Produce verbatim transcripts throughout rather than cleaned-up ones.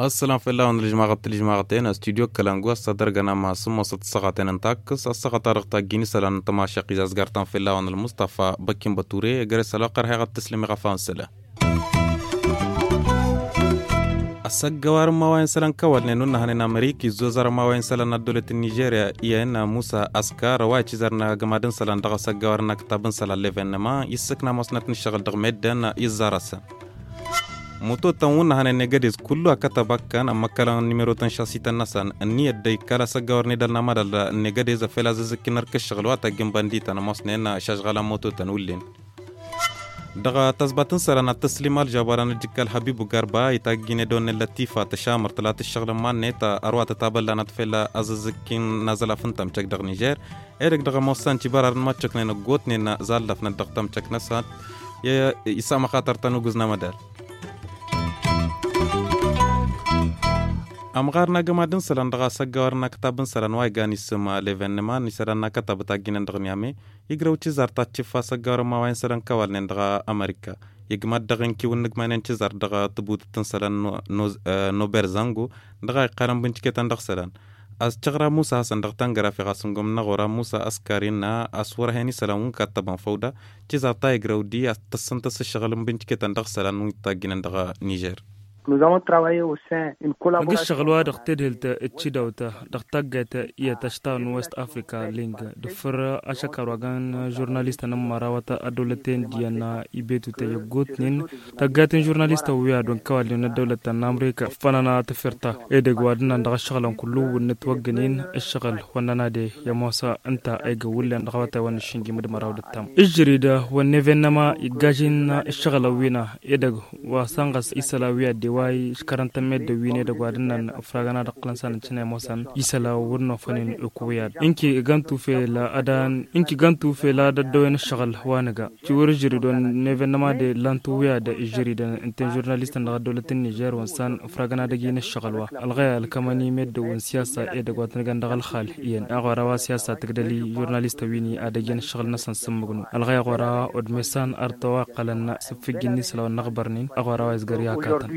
Ăssălam fell-awăn ălǝžmaɣăt tǝlǝžmaɣăten studyo kălangu ăssa dăr-găn ama s-ǝmmosăt ăssaɣăten n-takkǝs ăssaɣăt-a-dăɣ tajjin isălan n-tămašăq izazgar-tăn fell-awăn ălmustafa băkkin băture. Găre s-ălwăqq ărheɣ ad-t-tǝslǝm iɣăfawăn isălan. Ăssăggăwar n-imawayen isălan kăwălnen unnăhănen amerika izzozăr imawayen isălan n-ăddăwlăt n-nižerya iyyăn musa ăskar wa icizăr n-agămad n-isălan dăɣ-asăggăwar n-aktab n-isălan levennăma issǝkna mosnăt n-ǝššăɣǝl dăɣ-meddǝn izzar-asăn. Mutotăn wǝnnăhănen negădez kullu akătăb ăkkăn ămmăkkălăn n-nimerotăn šasităn-năsăn ǝnniyăt dd-ikkal asăggăwar n-edăl n-amădal negădez ăffel azǝzzǝkkin ărk ǝššăɣǝl wa tăjjǝn băndităn ămoosnen šažɣălăn mutotăn wǝllen. Dăɣ-tăẓbat n-isălan ad-tăslim alžab wa dăɣ-nǝjjǝk ălhăbibu garba itajjin edăwănnen lătifa tăšamăr tǝlat ǝššăɣǝl n-iman-net ărwa tătabăllanăt fell-azǝzzǝk n-azălaf n-tămcăk dăɣ-nižer. Edăgg dăɣ-ămoos s-a n-cibărar n-măccăknen ăggootnen zallăfnăt dăɣ-tămcăk-năsăn. Isam axatar ta n-ugǝz n-amădal. Ămɣar n-agămad n-isălan dăɣ-asăggăwar n-akătab n-isălan wa igan isǝm levennăman isălan n-akătab ătajjinăn dăɣ-niyame. Igrăw cizar ta t-cǝffa asăggăwar n-imawayen isălan kăwalnen dăɣ-amărika. Igmăt dăɣ-inkiw n-inǝgmaynen cizar dăɣ-tǝbutǝt n-isălan n-oberzăngo dăɣ-a iqqalăn bǝncǝketăn dăɣ-isălan. A-s căɣra musa hasăn dăɣ-tangărafi ɣas n-gomna ɣur-a musa ăskar innă a-s wăr-hen isălan wi n-kattăbăn făw da cizar ta igrăw di a-s tăssăn tăssăššăɣǝl n-bǝncǝketăn dăɣ-isălan wi n-tajjǝnen dăɣ-nižer. Nǝgg ǝššăɣǝl wa dăɣ-tedhǝlt d-tidawt dăɣ-taggayt iyyăt ăšta n-west afrika ling d-făr ašăkar wa găn žurnalistăn n-imărawăt ăddăwlăten d-iyyăn ibetutăn i-ăggootnen. Taggayt n-žurnalistăn wi ad-wăn kăwalnen ăddăwlăt ta n-amrika fănăn a tǝfirta edăgg wa d-ǝnnan dăɣ-ǝššăɣǝlăn kullu wǝnnǝt wăggănen ǝššăɣǝl wănnăn ad-e i-ămoos ǝnta a igǝwǝllen dăɣ-awătay wa n-ašǝnjim d-măraw d-ǝttam ǝžžărid wănn evennăma iggažin ǝššăɣǝlăn wi n-edăgg wa sănɣăs isălan wi ad-dewa iškărăn tămmeddǝn wi n-edăgg wa d-ǝnnan ǝfragăn ad-ǝqqǝlăn s-ad-nǝccǝn i-ămoosăn isălan wăr nofănen ǝkǝwǝy ad-inki găn-tufel ad-ăddăwen ǝššăɣǝl wa nǝga. Tiwǝr žăridon n-evennăma de lantǝwǝy ad-žăridăn ǝnta n-žurnalistăn dăɣ-ăddăwlăt n-nižer wăn s-an ǝfragăn ad-ăjjǝyăn ǝššăɣǝl wa ălɣăy ălkămăn i-meddǝn wǝn siyasa edăgg wa tăn-găn dăɣ-ălxal iyyăn aɣora wa siyasa tǝgdăl i-žurnalistăn wi n-ad-ăjjǝyăn ǝššăɣǝl-năsăn s-ǝmmǝgnu ălɣăy aɣora odmesan ărtăw a iqqălăn s-ǝffǝjjǝn n-isălan wa n-aɣbărnen aɣora wa izgăr i-akatăn.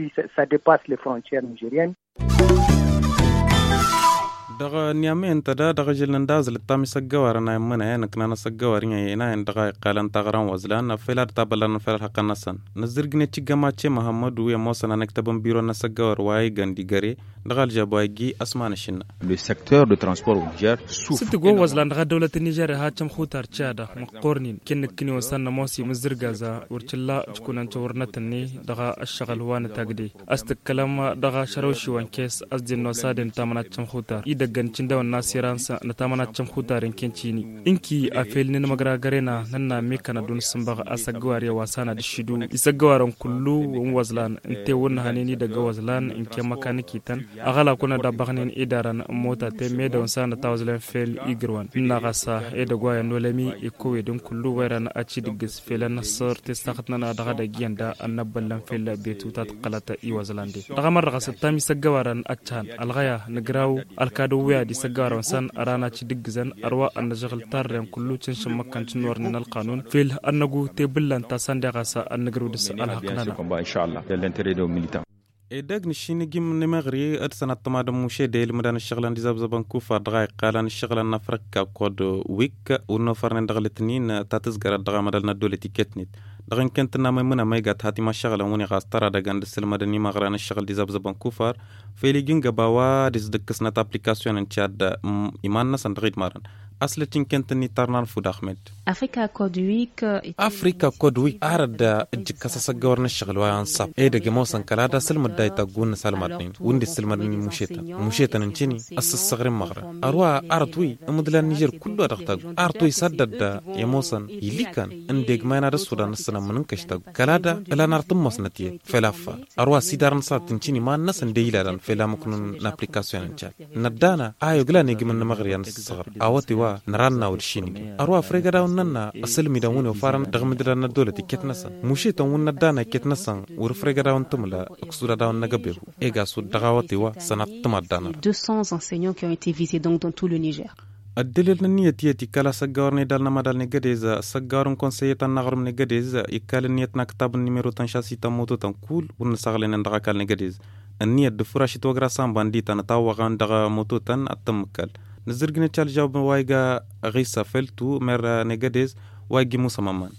Dăɣ-niyame ǝnta da dăɣ-ažǝl n-anda azǝl ǝttam isăggăwarăn a immǝnayăn ǝknan asăggăwar i-inayăn dăɣ-a iqqalăn taɣra n-wăzlan ăffel ad-tabăllan ăffel ălhăqqăn-năsăn. Nǝzzǝrgǝnet igămace măhămmădu i-ămoosăn anăktăb n-biro n-asăggăwar wa igan d-igăre dăɣ-alžab wa iji ăsman ašǝnna. Le secteur de transport. S-tǝggo wăzlan dăɣ-ăddăwlăt n-nižerya ha cămxutar ciyada măqqornen ken nǝkkǝni wăn s-ad-nămoos imǝzzǝrgaz wăr cǝlla ǝjkunăn căwărnăt-net dăɣ-ăššăɣǝl wa n-tagde. A-s tǝkkălăm dăɣ-ašărăw šiwăn kes a-s dd-innos ad-intamăn ad-cămxutar idăggăn cǝndăwăn n-asirans nǝtamăn ad-cămxutar inken cini. Ǝnki afel n-inmăgragăren a nănna mekăn ad-dd-nǝssǝnbăɣ asăggăwar i-wa s-an ad-ǝššǝdu isăggăwarăn kullu n-wăzlan ǝnta i-wănnăhănen idăgg n-wăzlan ǝnken măkanǝkităn. Aɣălakun ad-abbăɣnen idarăn n-motaten medăwăn s-an ătawăzlen fel igrǝwăn ǝnna ɣas edăgg wa i-ănolămi ikkăwedăn kullu wa irăn ad-t-idǝggǝs fel ănnăṣṣăr testaxăt-nănăɣ dăɣ-edăgg iyyăn da ănnăbbăllăn fel betu ta tǝqqălăt i-wăzlan de dăɣ-ămăr dăɣ-s ǝttam isăggăwarăn ăccăhăn ălɣăya nǝgraw ălkadăw wi ad-isăggăwarăn wăn s-an ăran ad-t-idǝggǝzăn ărwa ănnăžăɣǝl tarren kullu cǝnšǝm măkkăn cǝnnornen ălqanun fel ănnăgu tebǝllan ta săn deɣ ɣas ad-nǝgrǝw dăɣ-s ălhăqq-nănăɣ. Edăgg nǝššinǝjǝm n-emeɣri d-sănăt tămadăn mušede ilmǝdăn ǝššăɣǝlăn d-izăbzăbăn kufar dăɣ-a iqqalăn ǝššăɣǝlăn n-afrika kod wik wǝnnofărnen dăɣ-lǝtnin ta tǝzgărăt dăɣ-amădăl n-ăddolăt iket-net. Dăɣ-inkent n-amăymǝn amăygat hat imaššăɣǝlăn wǝnni ɣas tăra dăgg-an d-ǝssǝlmădăn imăɣra n-ǝššăɣǝl d-izăbzăbăn kufar fel iji n-găba wa d-isdǝkkǝsnăt aplikasyon n-cad iman-năsăn dăɣ-idmarăn. Ăslăt inkent-ni tărna n-fud ahmed. Afrika kodwi arăt da ǝjjǝkkăs asăggăwăr n-ǝššăɣǝl wa n-sab edăgg ămoosăn kăla da sǝlmǝd da itaggun n-asălmadnen wǝnda issǝlmădnen imušetăn imušetăn n-cini. Ăssăssăɣrǝn măɣrăn ărwa arăt wi ǝmǝdlan nižer kullu a dăɣ-taggu arăt wi s-addăt da i-ămoosăn ilikan ǝndeg mayna d-ăssudan ăssănămmǝn n-kăš taggu kăla da ǝlan arăt ǝmmosnăt iyyăt fel affar. Ărwa s-idarăn s-ad-tǝncǝn iman-năsăn de ilalăn fel amǝknun n-aplikasyon n-cad. Năddana a i-oglan igǝm n-imăɣrǝyan s-săɣr awăt i-wa. Nărannawăd šinige ărwa fregădawăn nănna ăsălmidăn wăn i-ofarăn dăɣ-mǝdǝdan n-ăddolăt iket-năsăn mušităn wăn n-ăddana iket-năsăn wăr-fregădawăn tǝmǝla ăksuradawăn n-agăbehu. Egasud dăɣ-awăte wa sănat tǝmad danăr. Deux cents enseignants qui ont été visés donc dans tout le niger. Ăddălil n-ǝnniyăt iyyăt ikkal asăggawăr n-edal n-amadal n-egădez asăggawăr n-konsăyye ta n-aɣrǝm n-egădez ikkal ǝnniyăt n-aktab n-nimero tăn-šasităn mototăn kull wăr nǝsăɣlăynen dăɣ-akal n-egădez. Ǝnniyăt d-furaš itwăgra samba n-dităn ătawwăɣăn dăɣ-mototăn ad-tăn-mǝkkal. Nǝzzǝrgǝnăt šalžaw wa iga ɣisa feltu mer n-egădez wa igi musa mămman.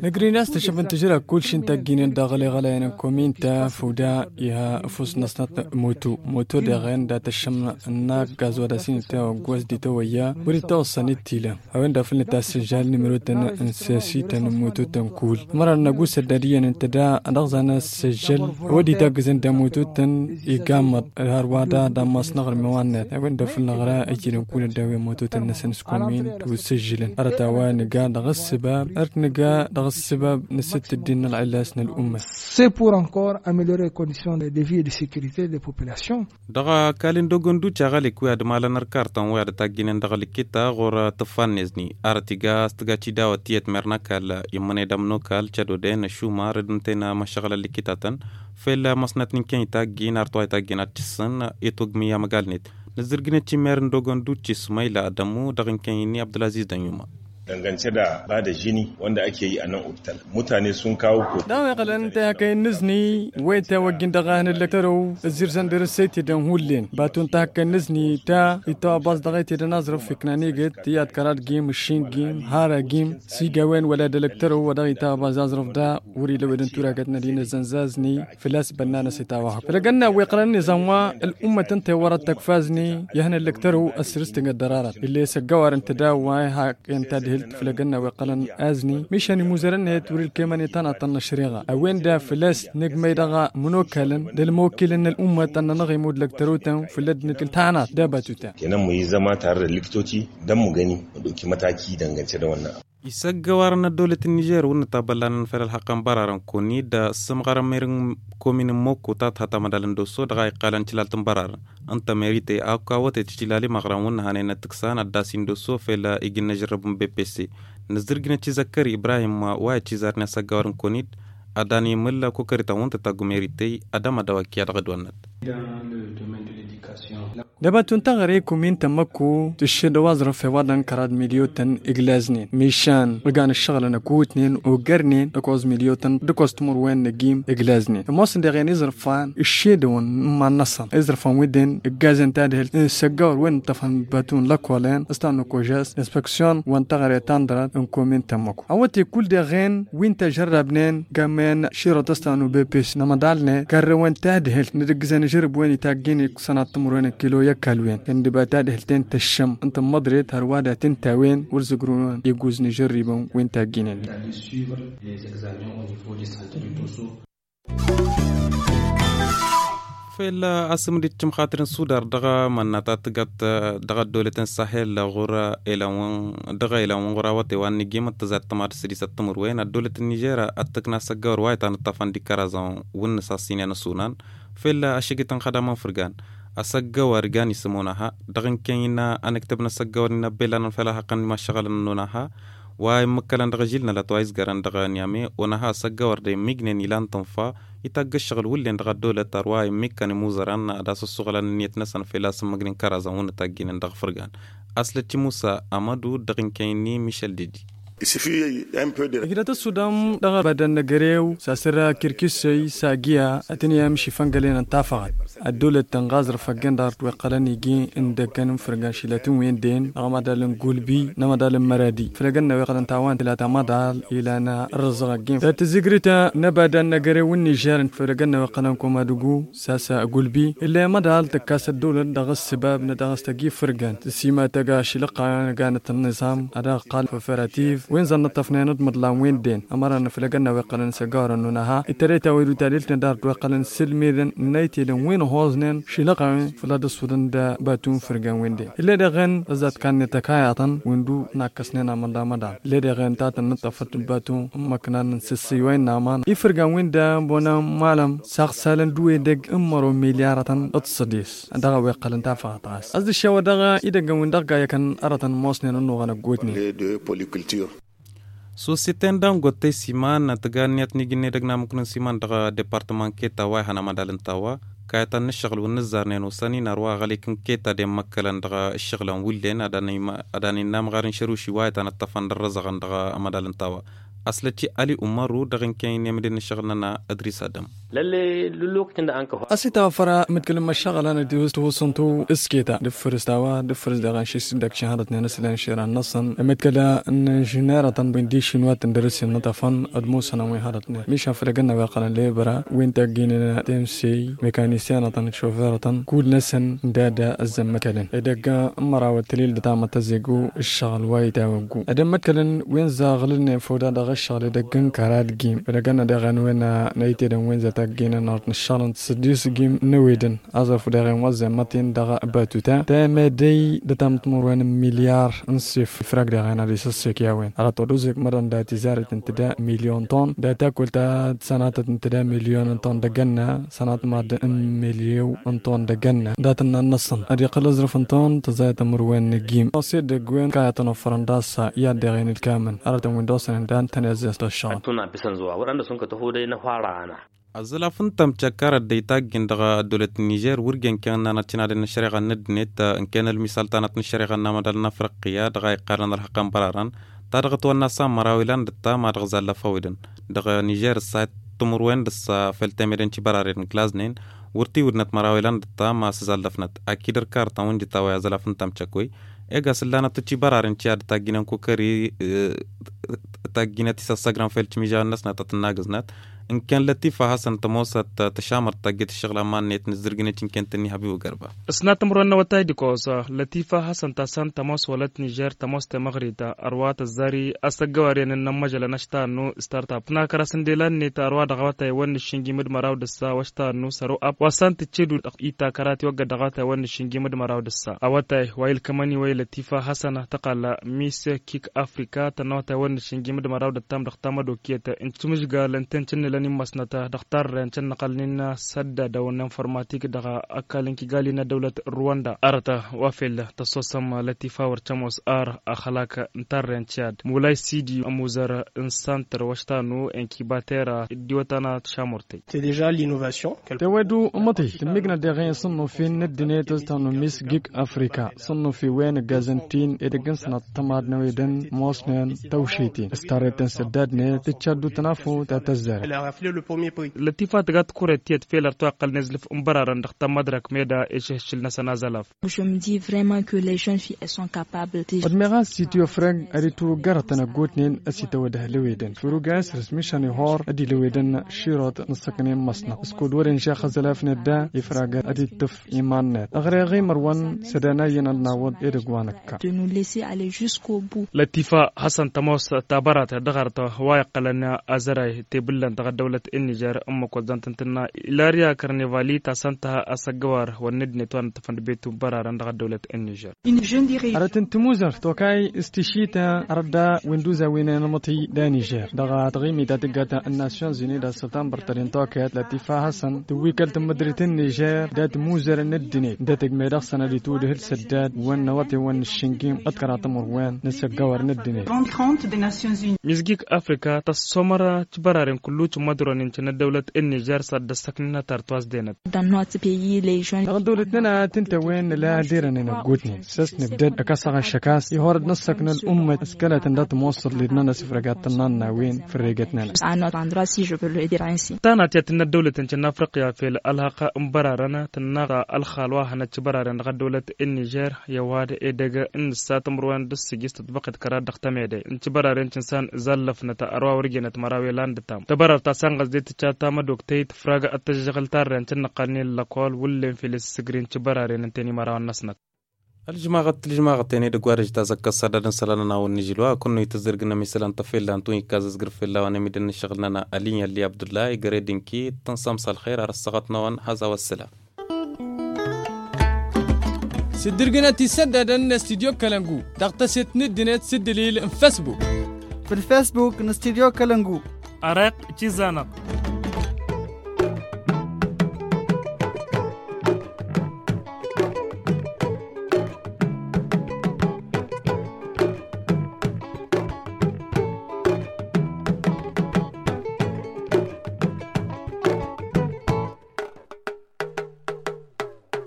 Nǝgrǝyna s-tăšăbăn tǝžra kull šin tagginen dăɣ-ălleɣălăyăn n-komin ta făw da iha ăfus n-ăsnăt moto moto deɣen da tăššăm n-aggaẓ wa da s-inǝtawăgg wa s-ditawăyya wăr-itawăṣṣăn i-t-ila. A-wen-dăɣ făll-nǝtasǝžžal nimărotăn n-sesităn n-mututăn kull ămăra n-năgusăt d-ad-iyyăn ǝnta da ad-dăɣ-zan ăssăžžăl. A-wa d-itaggǝzăn d-amututăn igamăḍ hărwa da d-ammas n-aɣrǝm i-wa-net a-wen-dăɣ făll-năɣra ăjjǝlăn kull ăddawen mututăn-năsăn s-komin d-usǝžžǝlăn hărăt a-wa nǝga dăɣ-ǝssǝbab hărăt nǝga dăɣ-ǝssǝbab n-asǝttǝddin n-ălɣillas n-ălumma. C'est pour encore améliorer les conditions de vie et de sécurité des populations. Dăɣ-ăkall n-dogănduce aɣălik wi ad-malăn ărkartăn wi ad-tagginen dăɣ-likita ɣur-tǝffannezni arăt iga s-tǝga cidawăt tiyyăt mer n-ăkall immănăy d-amnokal cădodăyăn ăšumar d-ǝntăyăn măšăɣlăn likitatăn. Fel măsnăt n-inkăy n-itaggin arăt wa itaggin ad-tǝssǝn itwăgmǝy amăgalnet nǝzzǝrgǝnăt i-mer n-dogănduce ismayla adămu dăɣ-inkăy-ni abdălaziz dănyuma. Dăngance da ba da žini wănda ake yi a năn optal mutane sun kawo ko. Dăɣ-a-wa iqqălăn ǝnta i-hakăyăn n-izni wa itawăjjin dăɣ-ehăn ǝllăk tărăw ǝzzirzăn dăr-s i-tedăn hullen baton ta hakăyăn n-izni ta itawăbas dăɣ-e tedăn aẓrǝf iknan iget tiyyăt kăraḍ gim ǝššin gim hara gim s-iga a-wen wăla d-ǝllăk tărăw wa dăɣ-itawăbas aẓrǝf da wăr-ila ăwedăn turagăt n-ad-hin-ăzzănzazni. Făl-a-s bănnanăs itawăhăk făll-agănna wi iqqălăn n-iẓan wa ăl'ummăt ǝnta i-wărăt tăkfazni i-ad-hin-ăllăk tărăw ăssărǝs tǝngăt dărarat ill'-e s-ăggawar ǝnta da wa ihaq i-ǝnta ad-hǝlt făll-agănna wi iqqălăn azni mišan imuzărăn-net wăr-ilkemăn i-tanăḍt ta n-ăšriɣa a-wen da făl-a-s nǝgmăy dăɣ-imǝnokalăn d-ălmăwkilăn n-ăl'ummăt ad-nănăɣ-imud lăktărăwtăn făll-ăddinăt ǝltăhănat d-abatutăn. Kănăn măyǝzzăma tarăd ălliktoti d-ămmugăni mădokimătaki dăngăncădăwănna. Isăggăwarăn ăddăwlăt n-nižer wăr nǝtabăllanăn fel ălxăqqăn bărarăn kăwăn-dd ăssǝmɣărăn meri n-komin n-mokko ta tǝha tamădal n-dosso dăɣ-a iqqalăn tilalt n-bărarăn ǝnta meri tey akk awătăy tǝjilal imăɣran wăr nǝhănen ăttǝksan ăddas-in dosso fel ijǝnnă žărrǝb n-bepesse. Nǝzzǝrjǝnăt i-zăkkări ibrahim wa i-ăccizarnen asăggăwar n-kăwăn-dd ad-dan imǝl kukărităn wăr n-tătaggu meri tey ad-ămădăw ăkk i-ad-dăɣ-dd-wănnăt. Dăbatun taɣre kumin tămmăkku tǝššedăw aẓrǝf i-wa dăɣ-n kăraḍ milyotăn iglaznen mišan ǝlgan ǝššăɣǝlăn ăkutnen ogărnen d-ăkoẓ milyotăn d-ăkoẓ timǝrwen n-ăgim iglaznen ămoosăn deɣen iẓrǝfan ǝššedăwăn n-iman-năsăn iẓrǝfan wi-den ǝggazăn tadhǝlt n-săggawăr wi n-ǝṭṭăfăn batun lăkolen s-ta n-ăkožas inspeksyon wa n-taɣre ta n-dărat n-kumin tămmăkku awăte kull deɣen wi n-tăžărrabnen gammăyăn širăt s-ta n-ubepes n-amăḍalnen karrăwăn tadhǝlt n-ad-ǝggǝzăn žărǝb wen itaggin iksănat timǝrwen n-kilo i-ăkall wen kăndǝba tadhǝlt-en tăššăm n-tǝmmăḍret hărwa d-ad-t-ǝnta a-wen wăr zǝgrǝwăn iguz n-ižărribăn wi n-tagginen. Fel asǝmǝd iccǝmxatăr n-sudar dăɣ-mănna ta tǝgăt dăɣ-ăddolăt n-sahel ɣur-elan-wăn dăɣ-elan-wăn ɣur-awătay wa n-nǝjim ăttăzat tămad s-ăddisăt timǝrwen ăddolăt n-nižer ăttăkna s-ăggawăr wa ităn ǝṭṭăfăn d-ikăraẓăn wǝnnǝs a-s inen ăsunan. Fel ašăgit n-xădamăn fǝrgan asăggăwăr igan isǝm onaha dăɣ-inkăy n-anǝktǝb n-asăggăwăr n-inăbbelanăn fel ălxăqqăn n-imašăɣălăn n-onaha wa immǝkkălăn dăɣ-ažil n-alăt wa izgărăn dăɣ-niyame onaha asăggăwăr d-immignen ilan tǝnfa itagg ǝššăɣǝl wǝllen dăɣ-ăddolăt ărwa immikkan imuzărăn ad-asǝssuɣǝlăn ǝnniyăt-năsăn fel a-s ǝmmǝgnen kăraẓăn wǝnnǝt a ǝgginen dăɣ-fǝrgan. Aslăt i-musa amădu dăɣ-inkăy-ni mišel dedi. Ǝjrăt ăssudam dăɣ-ăbadăn n-egărew s-asăr kirkisăy s-agǝya ad-tăn-iyyăm šifăngălen n-tafăɣăt ăddolăt tănɣaẓrăf ăggen dăɣ-ărtweqqălăn iji n-idăkkăn n-fărgan šilatăn-wen-den dăɣ-amădal n-gulbi n-amădal n-măradi făl egănna weɣălăn tawant ilat amădal ilan ărrăẓăɣ ăggen tăt-tǝzzǝgrǝt n-ăbadăn n-egărew n-nižer făl egănna weɣălăn komadǝgu s-a-s gulbi ill'-e amădal tǝkkas ăddolăt dăɣ-ǝssǝbab n-ad-dăɣ-s tăjj ifărgan tǝsima tăgg ašǝlăqqa n-ganăt n-niẓam ad-dăɣ-ăqqal făfărativ wi n-zănnăṭṭăfnen d-imǝḍlan wen-den ămăran făl egănna weɣălăn s-ăggawărăn n-unaha itărăy tawăydut ta dăɣ-iltǝn ad-dăɣ-dd-weɣălăn sǝlmedăn n-aytedăn wi n-ăhhu. Ămoosnen šilăɣ-a-wen făll-ad-ăssudăn d-batu n-ifǝrgan-wen-dăɣ ill'-e dăɣ-en. Ăzzat kannăt ăkayătăn wi n-du n-akkăsnen amănḍa amăḍan ill'-e dăɣ-en ta tǝnnǝṭṭăfăt d-batu n-imăknan n-sǝssǝy wa innă aman ifǝrgan-win-dăɣ ăbonăn malăm saɣsalăn d-uwedăgg n-măro milyarătăn d-săḍis. Dăɣ-a-wa iqqălăn tafăɣăt ɣas ăzd-ǝššewădăɣ idăggăn-win-dăɣ ga ikăn arătăn ămoosnen ănnuɣăn ăggootnen. Sosite n-dangote siman tǝga ǝnniyăt n-iji n-edăgg n-amǝknu n-siman dăɣ-departăman keta wa ihăn amădal n-tawa kayătăn n-ǝššăɣǝl wi n-ǝzzarnen osăn-in ărwa aɣălik n-keta d-emmăkkălăn dăɣ-ǝššăɣǝlăn wullen ad-ănn-innă amɣar n-išăruši wa itanăṭṭăfăn d-ărrăzăɣăn dăɣ-amădal n-tawa. Ăslăt ali umăru dăɣ-inken i-nemdin n-ǝššăɣǝl-nănăɣ. Ădris adăm. Ăsitawăfăr mǝtkǝl n-imăššăɣǝlăn d-tihusǝntu s-keta d-ǝffǝrǝs tawa d-ǝffǝrǝs daɣ anšis d-ăkšăn hărătnen s-lăn šera-năsăn mǝtkǝl n-inžinerătăn wi n-dišin wa tǝndărǝs innătăfăn d-musănăn wi n-hărătnen mišan făll-egănna wa iqqălăn lebăra wi n-tagginen temsey mekanisyenătăn d-šoferătăn kull-năsăn d-ad-ăzzămmăkălăn edăgg n-mărawăt tǝlil d-tamăt tăzegu ǝššăɣǝl wa itawăggu ad-ămmătkălăn wi n-zaɣǝlnen foda dăɣ-ǝššăɣǝl edăgg n-kăra d-gim făll-egănna deɣen wen n-aytedăn wen za tagginen art n-ǝššăɣǝl n-săddis gim n-ewedăn. Aẓrǝf deɣen wa ăzzemmăt-in dăɣ-batuta temedăy d-tamǝtmur wen n-milyar n-sef ifrag deɣen ad-isǝssek i-a-wen arăt wa d-uzǝk mădăn dat-izarăt ǝnta d-milyon ton dat-akwăl ta d-sănatăt ǝnta d-milyon n-ton d-egănna sănat mad-ǝnn milyon n-ton d-egănna dat-ǝnnan n-ăṣṣăn ad-iqqăl aẓrǝf n-ton tăẓayăt ămăr wen n-egim ăṣ-edăgg wen kayătăn ofărăn d-aṣṣa i-ad-deɣen ǝlkamăn arătăn wen d-osănen dan tăn-izzes d-ăššăɣăl. Ăttunna bǝsăn zuwa wăr-ănn dăr-s wǝnka tăhodăy n-ăhwara ana. Ăẓẓălaf n-tamcăkkarăt d-aytaggin dăɣ-ăddăwlăt n-nižer wăr jen kăyăn nanăt cinadăn n-ăššăreɣa n-ăddinăt ǝnken ălmisal tanăt n-ăššăreɣa n-amădal n-afriqya dăɣ-a iqqalăn ălxăqqăn bărarăn ta dăɣ-ătwănna s-a n-măraw ilan d-ǝttam a dăɣ-zallăf a-wedăn dăɣ-nižer ǝssa timǝrwen d-ǝssa fel temede n-cibăraren glaznen wăr t-iwǝdnăt măraw ilan d-ǝttam a-s zallăfnăt akid ărkartăn wi n-dd-tawăy aẓălaf n-tamcăkkoy. Ega s-ǝllanăt d-cibăraren ci ad-tagginăn kukări tagginăt isăssăgrăn fel cimižawen-năsnăt ad-tǝnnagǝznăt ǝnken lătifa hasăn tămoosăt tăšamărt tagget ǝššăɣǝl aman-net n-ǝzzǝrgǝnet ǝnken tǝnni habibu gărba. Ǝsnat timǝrwen n-awătay d-ikoẓ lătifa hasăn ta s-han tămoos wălăt nižer tămoos temăɣrit ărwa tăzzari asăggăwar i-ănn n-ămmăžălăn ăštannu startap tǝnakăr-as n-delan-net ărwa dăɣ-awătay wăr nǝššǝnjim d-măraw d-ǝssa wăštannu săro ap wa s-han tǝcced-dd itakăra tiwăggăd dăɣ-awătay wăr nǝššǝnjim d-măraw d-ǝssa awătay wa ilkămăn-i wa i-lătifa hasăn tăqal miss kik afrika tănna awătay wăr nǝššǝnjim d-măraw d-ǝttam dăɣ-tamădok i-tăn-tǝmǝžgal ǝnta-en cǝnnǝlăn immăsnăt dăɣ-tarren cǝnnăɣălnen s-ăddadăw n-informatik dăɣ-ăkall n-kigali n-ăddăwlăt n-ruwanda arăt wa fel tăssosăm lătifa wăr cămoos ar ăxlak n-tarren ciyad mulay sidi ămuzăr n-santăr wăštanu inkibatera d-iwătana tăšamurtăy. Tewădu ǝmmăḍ-i tǝmmǝgnăt deɣen s-ănnufen n-ăddinăt s-tănnumis gig afrika s-ănnufe wen ǝggazăn-t-in edăgg n-sănăt tămad n-ewedăn mosnen tăwše-ten s-tarreten s-ăddadnet tǝcca ăddu-tăn afut a tăzzarăt. Lătifa tǝga tikuret tiyyăt fel ărtwa iqqălăn izlǝf n-bărarăn dăɣ-tamădrăk meda išǝhšǝl-năsăn azălaf. Ădmeɣ a-s itǝwăfrăg ad-itwǝggărătăn ăggootnen ăsităwădăh lewedăn făruga isrǝs mišan ihor ad-ilewedăn širot n-ǝssăknen măsnăɣ s-kud wăren žax azălaf n-edda ifragăt ad-ittǝf iman-net ăɣreɣ imărwăn s-ad-anayăn ad-nawăḍ edăgg wa năkka. Lătifa hasăn tămoos tabărat dăɣ-arăt wa iqqălăn azăray tebǝllăn dăɣ-ăddăwlăt n-nižer ǝmmǝk wăzzăn tǝntǝnna ilarya kărnevali ta s-ănta asăggăwar wăr n-ăddinăt wa n-ǝttăfăn d-betu n-bărarăn dăɣ-ăddăwlăt n-nižer. Arăt n-timuzărt tokay s-tišita arăt da wi n-duza wi n-enămăti da nižer dăɣ-taɣimit ta tǝggat n-nasyon zini da sătambăr tădin tokayăt lătifa hasăn tǝwwikăl tǝmmǝdrit n-nižer dat-muzăr n-ăddinăt dat-ăgmedăɣ sănădit udǝhǝl săddad wăn n-awăte wăn n-aššǝngim ăḍkăra tămăr wen n-asăggăwăr n-ăddinăt. Mizgik afrika tăssomăr tibăraren kullu tǝmmădron incăn ăddăwlăt n-nižer s-ad-dd-ăssăknănăt ar twăzdenăt. Dăɣ-ăddăwlăt-nănăɣ a t-ǝnta a-wen nǝla ad-irănen ăggootnen s-ăsnǝbdăd ăkasăɣ ašăk a-s ihor ad-năssăknă ălummăt s-kăla tǝnda tămoosăḍ led-nănăɣ s-ifrăgat tănna n-a-wen fărregăt-nănăɣ. Tanat i-ad-tǝnna ăddăwlăt n-cănna afriqya fel ălhăqq n-bărarăn tǝnna ălxal wa hănăt cibăraren dăɣ-ăddăwlăt n-nižer i-ăwadǝm edăgg n-ǝssa timǝrwen d-ǝssǝjjǝs tǝtbăqet kăraḍ dăɣ-tămedăy n-cibăraren cǝnsan zallăfnăt ărwa wăr jenăt măraw i-lan d-tam tăbărărt ta s-anɣăzdet tǝcca tamădoktăy tǝfrag ad-tăžžăɣǝl tarren cǝnnăqqalnen lăkol wǝllen fel isǝssǝgrin cibăraren ǝnta-en imărawăn-năsnăt. Ălžmaɣăt ălžmaɣăt-en edăgg wa dăj-tazăkkăt s-ad-ad-ǝnsălăn ănawăn n-ižǝlwa kănnu itǝzzǝrgǝnăm isălan tăfella n-tunikka zǝzgǝr fella wa n-emidăn n-ašăɣǝl-nănăɣ ălin i-ălli abdullah igărăd inki tăn-sămsa ălxer ar ăssaɣăt n-awăn hăza wa ăssălam. Tǝddǝrgǝnăt isăddadăn n-estidyo kălăngu dăɣ-tăset n-ǝddǝnet s-ǝddǝlil n-fesbuk. Făll-fesbuk n-estidyo kălăngu. Ăreq tiza-năɣ.